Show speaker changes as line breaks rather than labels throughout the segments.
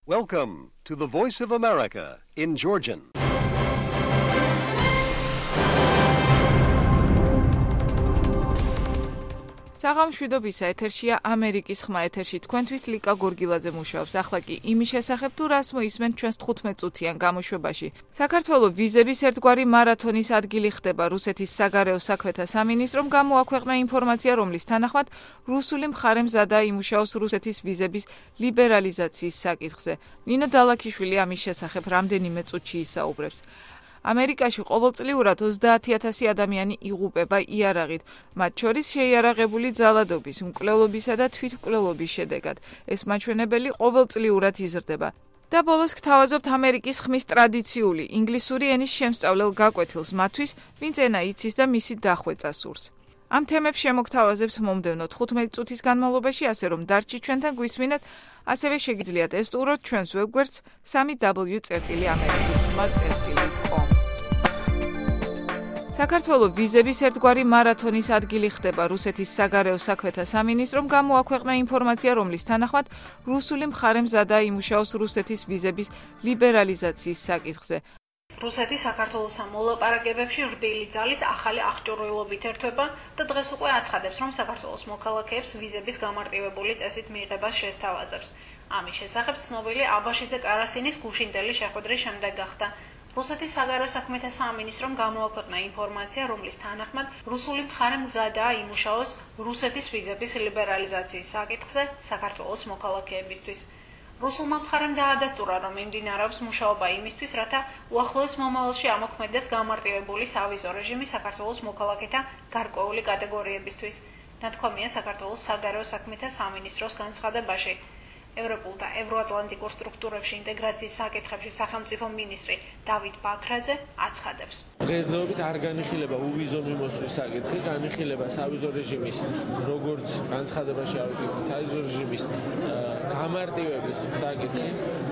Welcome to the Voice of America in Georgian.
საღამშვიდობისა ეთერშია ამერიკის ხმა ეთერში თქვენთვის ლიკა გორგილაძე მუშაობს. ახლა კი იმის შესახებ თუ რას მოისმენთ ჩვენს 15 წუთიან გამოშვებაში. საქართველოს ვიზების ერთგვარი მარათონის ადგილი ხდება რუსეთის საგარეო საქმეთა სამინისტრომ გამოაქვეყნა ინფორმაცია, რომლის თანახმად რუსული მხარე მზადა იმუშაოს რუსეთის ვიზების ლიბერალიზაციის საკითხზე. ნინო დალაქიშვილი ამის შესახებ რამდენიმე წუთში ისაუბრებს. ამერიკაში ყოველწლიურად 30,000 ადამიანი იღუპება იარაღით, მათ შორის შეიარაღებული ძალადობის, მკვლელობისა და თვითმკვლელობის შედეგად. ეს მაჩვენებელი ყოველწლიურად იზრდება. და ბოლოს გთავაზობთ ამერიკის ხმის ტრადიციული ინგლისური ენის შემსწავლელ გაკვეთილს მათთვის, ვინც ენა იცის და მისი დახვეწა სურს. ამ თემებს შემოგთავაზებთ მომდევნო 15 წუთის განმავლობაში, ასე რომ დარჩით ჩვენთან გვისმინეთ, ასევე შეგიძლიათ ესტუმროთ ჩვენს ვებგვერდს www.amerikiskhma.com. საქართველოს ვიზების ერთგვარი მარათონის ადგილი ხდება რუსეთის საგარეო საქმეთა სამინისტრომ გამოაქვეყნა ინფორმაცია, რომლის თანახმად რუსული მხარე მზადა იმუშაოს რუსეთის ვიზების ლიბერალიზაციის საკითხზე.
რუსეთი საქართველოსთან მოლაპარაკებებში რბილი ძალის ახალი აღჭურვილობით ერთვება და დღეს უკვე აცხადებს, რომ საქართველოს მოქალაქეებს ვიზების გამარტივებული წესით მიიღებას შესთავაზებს. ამის შესახებ ცნობილი აბაშიძე კარასინის გუშინდელი შეხვედრის შემდეგ გახდა. რუსეთის საგარეო საქმეთა სამინისტრომ გამოაქვეყნა ინფორმაცია, რომლის თანახმად რუსული მხარე მზადაა იმუშაოს რუსეთის ვიზების ლიბერალიზაციის საკითხზე საქართველოს მოქალაქეებისთვის. რუსულმა მხარემ დაადასტურა, რომ მიმდინარეობს მუშაობა იმისთვის, რათა უახლოეს მომავალში ამოქმედდეს გამარტივებული სავიზო რეჟიმი საქართველოს მოქალაქეთა გარკვეული კატეგორიებისთვის. ნათქვამია საქართველოს საგარეო საქმეთა სამინისტროს განცხადებაში. ევროპულ და ევროატლანტიკურ სტრუქტურებში ინტეგრაციის საკითხებში სახელმწიფო მინისტრი დავით ბაქრაძე აცხადებს.
დღესდღეობით არ განიხილება უვიზო მიმოსვლის საკითხი, განიხილება სავიზო რეჟიმის, როგორც განცხადებაში ავიღეთ, სავიზო რეჟიმის გამარტივების საკითხი,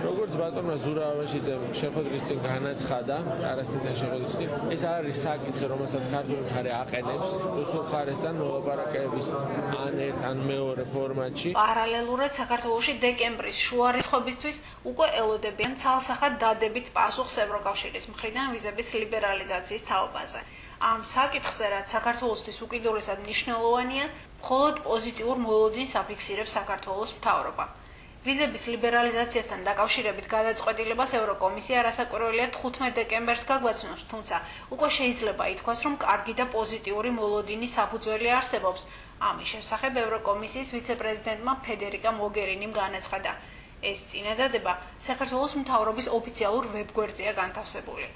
როგორც ბატონმა ზურავაშიძემ შეხვედრის წინ განაცხადა, კარასინთან შეხვედრის წინ, ეს არის საკითხი, რომელსაც ქართული მხარე აყენებს რუსულ მხარესთან მოლაპარაკებების ან ერთ ან მეორე ფორმატში.
პარალელურად საქართველოში დეკემბრის შუა რიცხვებისთვის უკვე ელოდებიან ცალსახად დადებით პასუხს ევროკავშირის მხრიდან ვიზების ლიბერალიზაციის თაობაზე. ამ საკითხზე, რაც საქართველოსთვის უკიდურესად მნიშვნელოვანია, მხოლოდ პოზიტიურ მოლოდინს აფიქსირებს საქართველოს მთავრობა. ვიზების ლიბერალიზაციასთან დაკავშირებით გადაწყვეტილებას ევროკომისია რასაკვირველია 15 დეკემბერს გაგვაცნობს, თუმცა უკვე შეიძლება ითქვას, რომ კარგი და პოზიტიური მოლოდინის საფუძველი არსებობს. ამის შესახებ ევროკომისიის ვიცე-პრეზიდენტმა ფედერიკა მოგერინიმ განაცხადა. ეს წინადადება საქართველოს მთავრობის ოფიციალურ ვებგვერდზეა განთავსებული.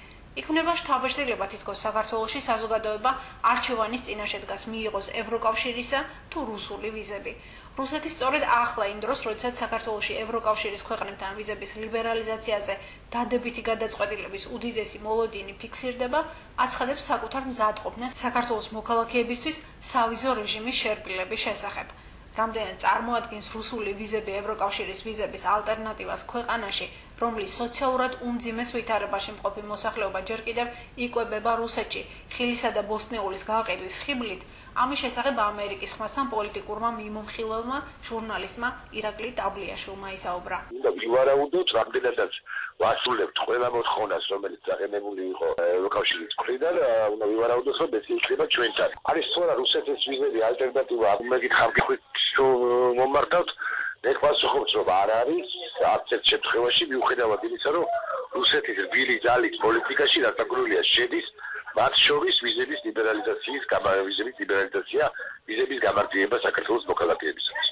იქნება შთაბეჭდილება თითქოს საქართველოში საზოგადოება არჩევანის წინაშე დგას მიიღოს ევროკავშირისა თუ რუსული ვიზები. რუსეთი სწორედ ახლა იმ დროს, როდესაც საქართველოში ევროკავშირის ქვეყნებთან ვიზების ლიბერალიზაციაზე დადებითი გადაწყვეტილების უდიდესი მოლოდინი ფიქსირდება, აცხადებს საკუთარ მზადყოფნას საქართველოს მოქალაქეებისთვის სავიზო რეჟიმის შერბილების შესახებ. რამდენად წარმოადგენს რუსული ვიზები ევროკავშირის ვიზების ალტერნატივას ქვეყანაში, რომლის სოციალურად უმძიმეს ვითარებაში მყოფი მოსახლეობა ჯერ კიდევ იკვებება რუსეთში ხილისა და ბოსტნეულის გაყიდვის ხიბლით, ამის შესახებ ამერიკის ხმასთან პოლიტიკურმა მიმომხილველმა ჟურნალისტმა ირაკლი ტაბლიაშვილმა ისაუბრა.
ვივარაუდოთ, რამდენადაც ვასრულებთ ყველა მოთხოვნას, რომელიც აღენებული იყო ევროკავშირის მხრიდან, უნდა ვივარაუდოთ, რომ ეს იქნება ჩვენთან. არის სწორად რუსეთის ვიზები ალტერნატივა, მეგითხავთ მომართავთ, ეს პასუხობს, რომ არ არის არც ერთ შემთხვევაში, მიუხედავად იმისა, რომ რუსეთის რბილი ძალის პოლიტიკაში დაწესებულია შედის მათ შორის ვიზების ლიბერალიზაცია, ვიზების გამარტივება საქართველოს მოქალაქეებისათვის.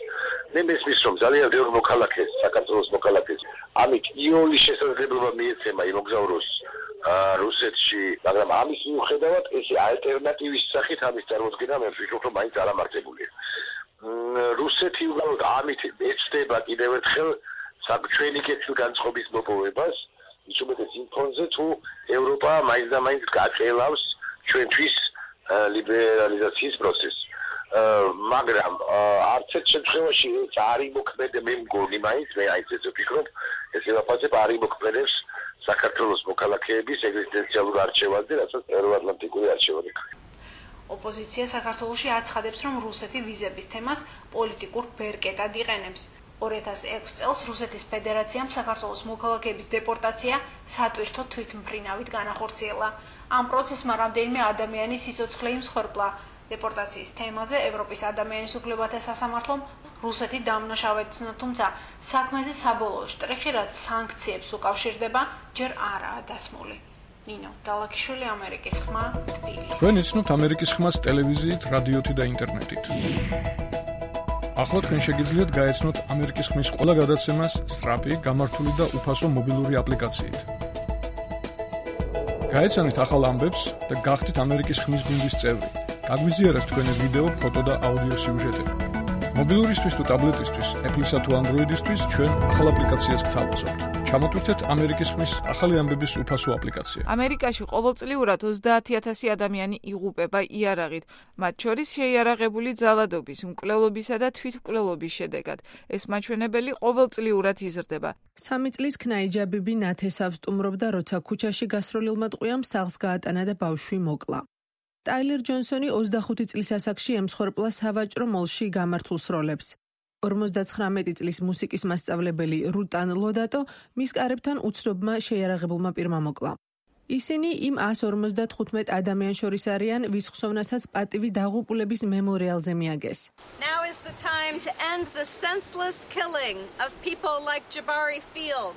მე მესმის, რომ ძალიან ბევრ მოქალაქეს, საქართველოს მოქალაქეს, ამით იოლის შესაძლებლობა მიეცემა იმოგზაუროს რუსეთში, მაგრამ ამის მიუხედავად ეს ალტერნატივის სახით ამის წარმოქმნა მე ვფიქრობ, რომ მაინც არ ამართებულია. რუსეთი უბრალოდ ამით ეცდება კიდევ ერთხელ ჩვენი კეთილგანწყობის მოპოვებას, ის უმეტეს იმ ფონზე, თუ ევროპა მაინც და მაინც გაწელავს ჩვენთვის ლიბერალიზაციის პროცესს. მაგრამ არც ერთ შემთხვევაში ეს არ იმოქმედება, მე მგონი მაინც, მე ეს ვფიქრობ, ეს ელაპარაკება არ იმოქმედებს საქართველოს მოქალაქეების ეგზისტენციალურ არჩევანზე, რასაც ევროატლანტიკური არჩევანი.
ოპოზიცია საქართველოში აცხადებს, რომ რუსეთი ვიზების თემას პოლიტიკურ ბერკეტად იყენებს. 2006 წელს რუსეთის ფედერაციამ საქართველოს მოქალაქეების დეპორტაცია სატვირთო თვითმფრინავით განახორციელა. ამ პროცესმა რამდენიმე ადამიანის სიცოცხლე იმსხვერპლა. დეპორტაციის თემაზე ევროპის ადამიანის უფლებათა სასამართლომ რუსეთი დამნაშავეცნა, თუმცა საქმეზე საბოლოო შტრიხი, რაც სანქციებს უკავშირდება, ჯერ არაა დასმული. ნინო დალაქიშვილი, ამერიკის ხმა, თბილისი.
თქვენ იცნობთ ამერიკის ხმას ტელევიზიით, რადიოთი და ინტერნეტით. ახლა თქვენ შეგიძლიათ გაეცნოთ ამერიკის ხმის ყველა გადაცემას სწრაფი, გამართული და უფასო მობილური აპლიკაციით. გაეცანით ახალ ამბებს და გახდით ამერიკის ხმის გუნდის წევრი. გაგვიზიარეთ თქვენი ვიდეო, ფოტო და აუდიო სიუჟეტები. მობილურისთვის თუ ტაბლეტისთვის, Apple-ისა თუ Android-ისთვის ჩვენ ახალ აპლიკაციას გთავაზობთ. ჩამოტვირთეთ ამერიკის ხმის ახალი ამბების უფასო აპლიკაცია.
ამერიკაში ყოველწლიურად 30,000 ადამიანი იღუპება იარაღით, მათ შორის შეიარაღებული ძალადობის, მკვლელობისა და თვითმკვლელობის შედეგად. ეს მაჩვენებელი ყოველწლიურად იზრდება.
3 წლის ქნაიჯაბიბი ნათესავს სტუმრობდა, როცა ქუჩაში გასროლილმა ტყვიამ სახლს გაატანა და ბავშვი მოკლა. ტაილერ ჯონსონი 25 წლის ასაკში ემსხვერპლა სავაჭრო მოლში გამართულ სროლებს. 59 წლის მუსიკის მასწავლებელი რუტან ლოდატო მის კარებთან უცნობმა შეიარაღებულმა პირმა მოკლა. ისინი იმ 155 ადამიანს შორის არიან, ვის ხსოვნასაც პატივი დაღუპულების მემორიალზე მიაგეს.
Now is the time to end the senseless killing of people like Jabari Field.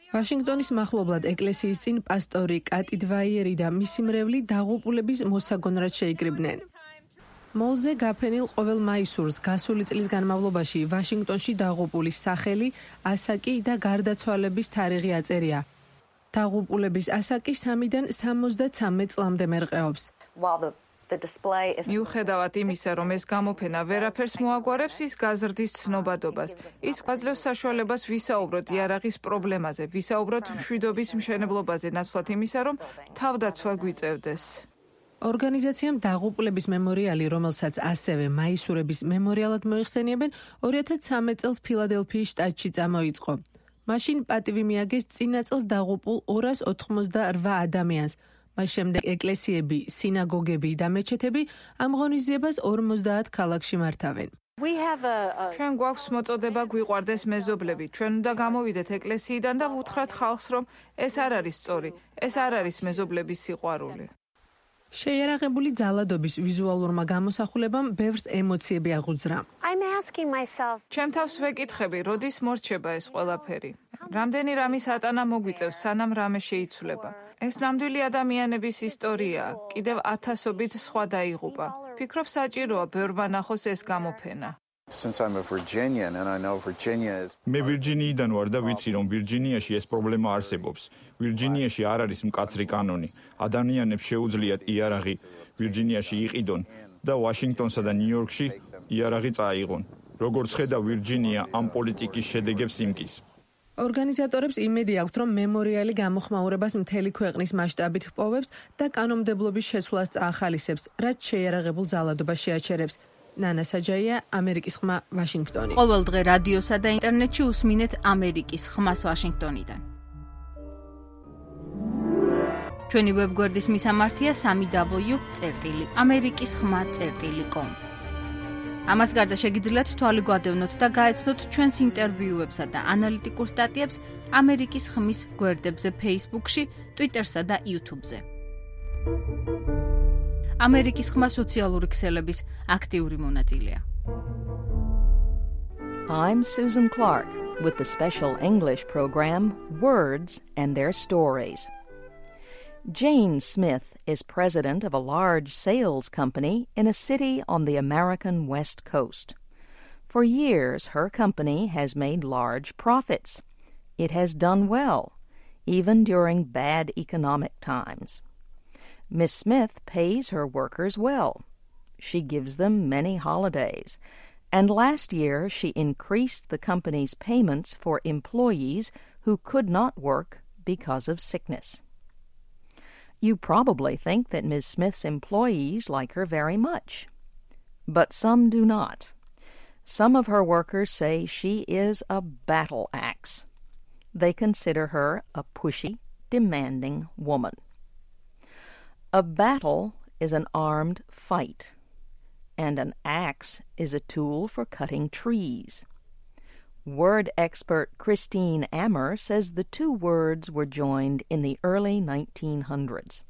ვაშინგტონის მახლობლად ეკლესიის წინ პასტორი კატი დვაიერი და მისი მრევლი დაღუპულების მოსაგონრად შეიკრიბნენ. მოლზე გაფენილ ყოველ მაისურს გასული წლის განმავლობაში ვაშინგტონში დაღუპულის სახელი, ასაკი და გარდაცვალების თარიღი აწერია. დაღუპულების ასაკი 3-დან 73 წლამდე მერყეობს.
მიუხედავად იმისა, რომ ეს გამოფენა ვერაფერს მოაგვარებს, ის გაზრდის ცნობადობას. ის გვაძლევს საშუალებას ვისაუბროთ იარაღის პრობლემაზე, ვისაუბროთ მშვიდობის მშენებლობაზე, ნაცვლად იმისა, რომ თავდაცვა გვიწევდეს.
ორგანიზაციამ დაღუპულების მემორიალი, რომელსაც ასევე მაისურების მემორიალად მოიხსენიებენ, 2013 წელს ფილადელფიის შტატში წამოიწყო. მაშინ პატივი მიაგეს წინა წელს დაღუპულ 288 ადამიანს. მას შემდეგ ეკლესიები, სინაგოგები და მეჩეთები ამ ღონისძიებას 50 ქალაქში მართავენ.
ჩვენ გვაქვს მოწოდება გვიყვარდეს მეზობლები. ჩვენ უნდა გამოვიდეთ ეკლესიიდან და ვუთხრათ ხალხს, რომ ეს არ არის სწორი, ეს არ არის მეზობლების სიყვარული.
შეიარაღებული ძალადობის ვიზუალურმა გამოსახულებამ ბევრს ემოციები აღუძრა.
ჩემ თავს ვეკითხები, როდის მორჩება ეს ყველაფერი? რამდენი რამის ატანა მოგვიწევს, სანამ რამე შეიცვლება? ეს ნამდვილი ადამიანების ისტორიაა, კიდევ 1000-ობით სხვა დაიღუპა. ფიქრობ საჭიროა ბევრმა ნახოს ეს გამოფენა.
მე ვირჯინიიდან ვარ და ვიცი, რომ ვირჯინიაში ეს პრობლემა არსებობს. ვირჯინიაში არ არის მკაცრი კანონი. ადამიანებს შეუძლიათ იარაღი ვირჯინიაში იყიდონ და ვაშინგტონსა და ნიუ-იორკში იარაღი წაიღონ. როგორც ხედავ, ვირჯინია ამ პოლიტიკის შედეგებს იმკის.
ორგანიზატორებს იმედი აქვთ, რომ მემორიალი გამოხმაურებას მთელი ქვეყნის მასშტაბით პოვებს და კანონმდებლობის შესვლას წაახალისებს, რაც შეიარაღებულ ძალადობას შეაჩერებს. ნანა საჯაია, ამერიკის ხმა, ვაშინგტონი.
ყოველ დღე რადიოსა და ინტერნეტში უსმინეთ ამერიკის ხმას ვაშინგტონიდან. ჩვენი ვებგვერდის მისამართია www.amerikiskhma.com. ამას გარდა შეგიძლიათ თვალი გვადევნოთ და გაეცნოთ ჩვენს ინტერვიუებსა და ანალიტიკურ სტატიებს ამერიკის ხმის გვერდებზე Facebook-ში, Twitter-სა და YouTube-ზე. ამერიკის ხმა სოციალური ქსელების აქტიური მონაწილეა.
I'm Susan Clark with the special English program Words and Their Stories. Jane Smith is president of a large sales company in a city on the American West Coast. For years, her company has made large profits. It has done well, even during bad economic times. Miss Smith pays her workers well. She gives them many holidays, and last year she increased the company's payments for employees who could not work because of sickness. You probably think that Ms. Smith's employees like her very much, but some do not. Some of her workers say she is a battle axe. They consider her a pushy, demanding woman. A battle is an armed fight. and an axe is a tool for cutting trees. Word expert Christine Ammer says the two words were joined in the early 1900s.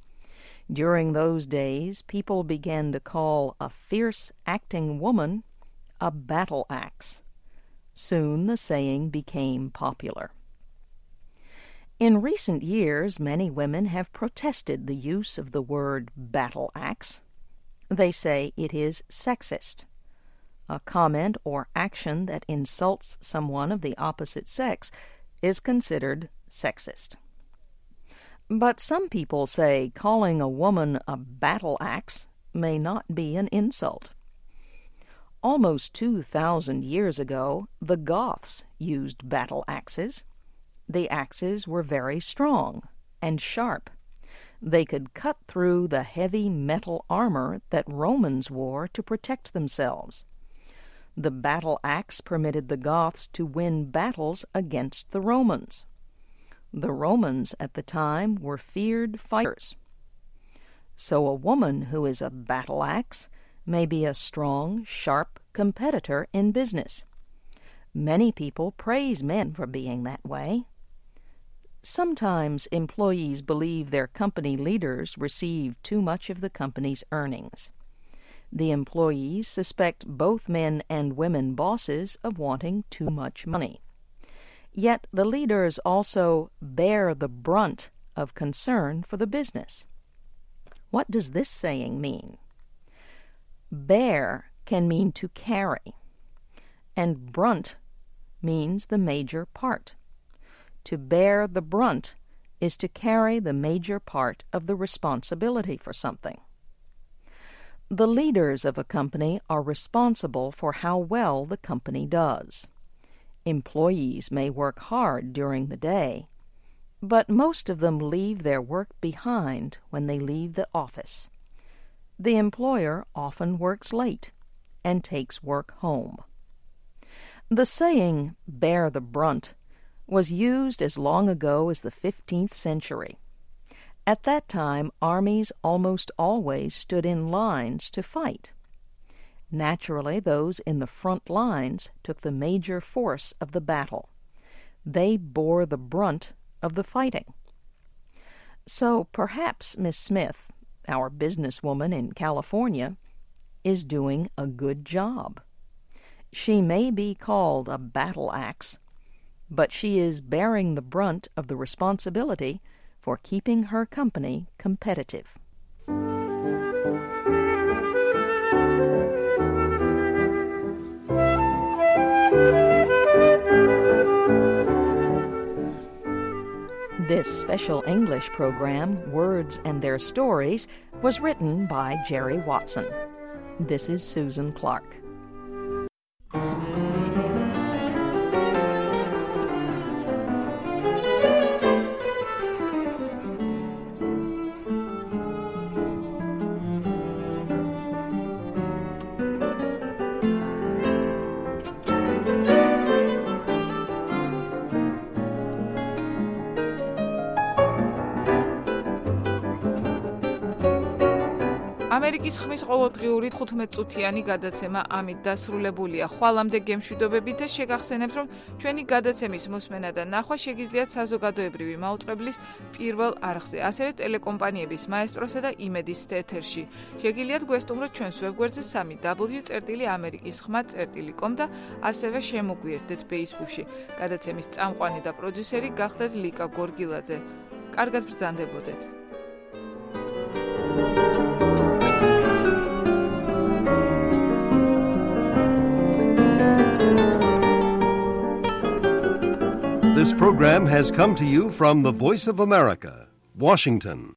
During those days, people began to call a fierce-acting woman a battle axe. Soon the saying became popular. In recent years, many women have protested the use of the word battle axe. They say it is sexist. A comment or action that insults someone of the opposite sex is considered sexist. But some people say calling a woman a battle axe may not be an insult. Almost 2,000 years ago, the Goths used battle axes. The axes were very strong and sharp. They could cut through the heavy metal armor that Romans wore to protect themselves. The battle axe permitted the Goths to win battles against the Romans. The Romans at the time were feared fighters. So a woman who is a battle axe may be a strong, sharp competitor in business. Many people praise men for being that way. Sometimes employees believe their company leaders receive too much of the company's earnings. The employees suspect both men and women bosses of wanting too much money. Yet the leaders also bear the brunt of concern for the business. What does this saying mean? Bear can mean to carry, and brunt means the major part. To bear the brunt is to carry the major part of the responsibility for something. The leaders of a company are responsible for how well the company does. Employees may work hard during the day, but most of them leave their work behind when they leave the office. The employer often works late and takes work home. The saying, bear the brunt, was used as long ago as the 15th century. At that time, armies almost always stood in lines to fight. Naturally, those in the front lines took the major force of the battle. They bore the brunt of the fighting. So perhaps Miss Smith, our businesswoman in California, is doing a good job. She may be called a battle axe, but she is bearing the brunt of the responsibility for keeping her company competitive. This special English program, Words and Their Stories, was written by Jerry Watson. This is Susan Clark.
ამერიკის ხმის ყოველდღიური 15-წუთიანი გადაცემა ამით დასრულებულია. ხვალამდე გემშვიდობებით და შეგახსენებთ, რომ ჩვენი გადაცემის მოსმენა და ნახვა შეგიძლიათ საზოგადოებრივი მაუწყებლის პირველ არხზე, ასევე ტელეკომპანიების მაესტროსა და იმედის ეთერში. შეგიძლიათ გვესტუმროთ ჩვენს ვებგვერდზე www.amerikiskhma.com და ასევე შემოგვიერთდეთ Facebook-ში. გადაცემის წამყვანი და პროდიუსერი გახდათ ლიკა გორგილაძე. კარგად ბრძანდებოდეთ.
This program has come to you from the Voice of America, Washington.